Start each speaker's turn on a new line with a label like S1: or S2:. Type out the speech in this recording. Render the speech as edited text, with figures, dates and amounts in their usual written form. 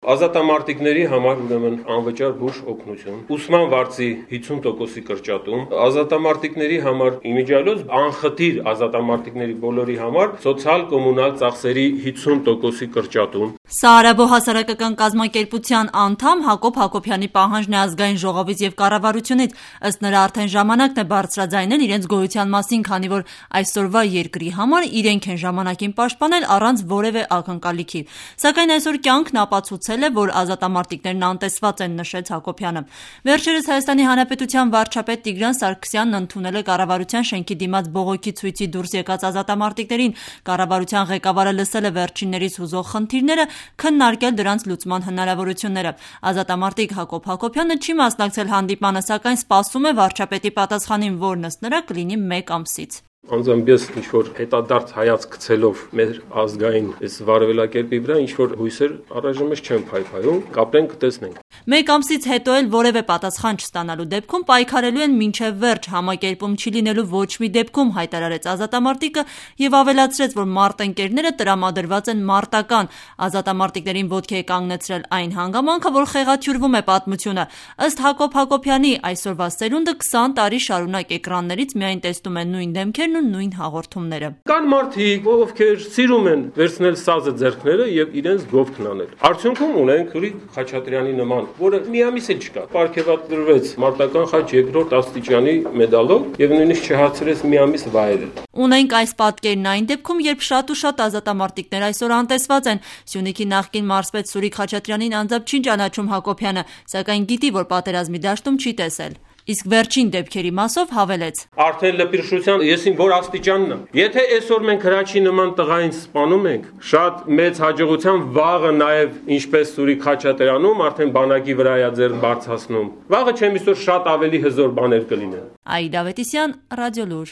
S1: Ազատամարտիկների համար ուրեմն անվճար բուժ օգնություն, ուսման վարձի 50%-ի կրճատում, ազատամարտիկների համար իմիջիալոց անխտիր ազատամարտիկների բոլորի համար սոցիալ-կոմունալ ծախսերի 50%-ի կրճատում։
S2: Սա Արաբո հասարակական կազմակերպության անդամ Հակոբ Հակոբյանի պահանջն է ազգային ժողովից եւ կառավարությունից, ըստ նրա արդեն ժամանակն է բարձրաձայնել իրենց գոյության մասին, քանի որ այսօրվա երկրի համար իրենք են ժամանակին պաշտպանել առանց որևէ ակնկալիքի։ Սակայն այսօր կյանքն ապացուցել է, որ ազատամարտիկներն անտեսված են, նշեց Հակոբյանը։ Վերջերս Հայաստանի Հանրապետության վարչապետ Տիգրան Սարգսյանն ընդունել է կառավարության շենքի դիմաց բողոքի ցույցի դուրս եկած ազատամարտիկներին։ Կառավարության ղեկավարը լսել է վերջիններից հուզող խնդիրները, քննարկել դրանց լուծման հնարավորությունները։ Ազատամարտիկ Հակոբ Հակոբյանը չի մասնակցել հանդիպմանը, սակայն սպասում է վարչապետի պատասխանին, որն ըստ նրա կլինի 1 ամսից։
S1: Անձամբ ես ինչ-որ հետադարձ հայացք գցելով մեր ազգային այս վարվելակերպի վրա ինչ-որ հույսեր առայժմ չեմ փայփայում, կապրենք, կտեսնենք։
S2: 1 ամսից հետո էլ որևէ պատասխան չստանալու դեպքում պայքարելու են մինչև վերջ, համակերպում չի լինելու ոչ մի դեպքում, հայտարարեց ազատամարտիկը եւ ավելացրեց, որ մարտընկերները տրամադրված են մարտական։ Ազատամարտիկներին ոտքի է կանգնեցրել այն հանգամանքը, որ խեղաթյուրվում է պատմությունը։ Ըստ Հակոբ Հակոբյանի, այսօրվա սերունդը 20 տարի շարունակ էկրաններից միայն տեսնում է նույն դեմքերն ու նույն հաղորդումները։
S1: Կան մարդիկ, ովքեր սիրում են վերցնել սազը ձեռքները եւ իրենց գովքն անել։ Արդյունքում ունենք Սուրիկ Խաչատրյանի նման, որը միամիս էլ չկա։ Պարգևատրվեց մարտական խաչ 2-րդ աստիճանի մեդալով եւ նույնիսկ չհասցրեց միամիս վայելել։
S2: Ունենք այս պատկերն այն դեպքում, երբ շատ ու շատ ազատամարտիկներ այսօր անտեսված են։ Սյունիքի նախկին մարզպետ Սուրիկ Խաչատրյանին անձամբ չի ճանաչում Հակոբյանը, սակայն գիտի, որ պատերազմի դաշտում չի տեսել։ Իսկ վերջին դեպքերի մասով հավելեց.
S1: Արդեն լպիրշության եսին որ աստիճանն է։ Եթե այսօր մենք հրաչի նման տղային սպանում ենք, շատ մեծ հաջողությամբ վաղը նաև ինչպես Սուրիկ Խաչատրյանում արդեն բանակի վրա է ձեռք բարձրացնում։ Վաղը չեմ իսօր շատ ավելի հզոր բաներ կլինեն։
S2: Այդա Ավետիսյան, Ռադիոլուր։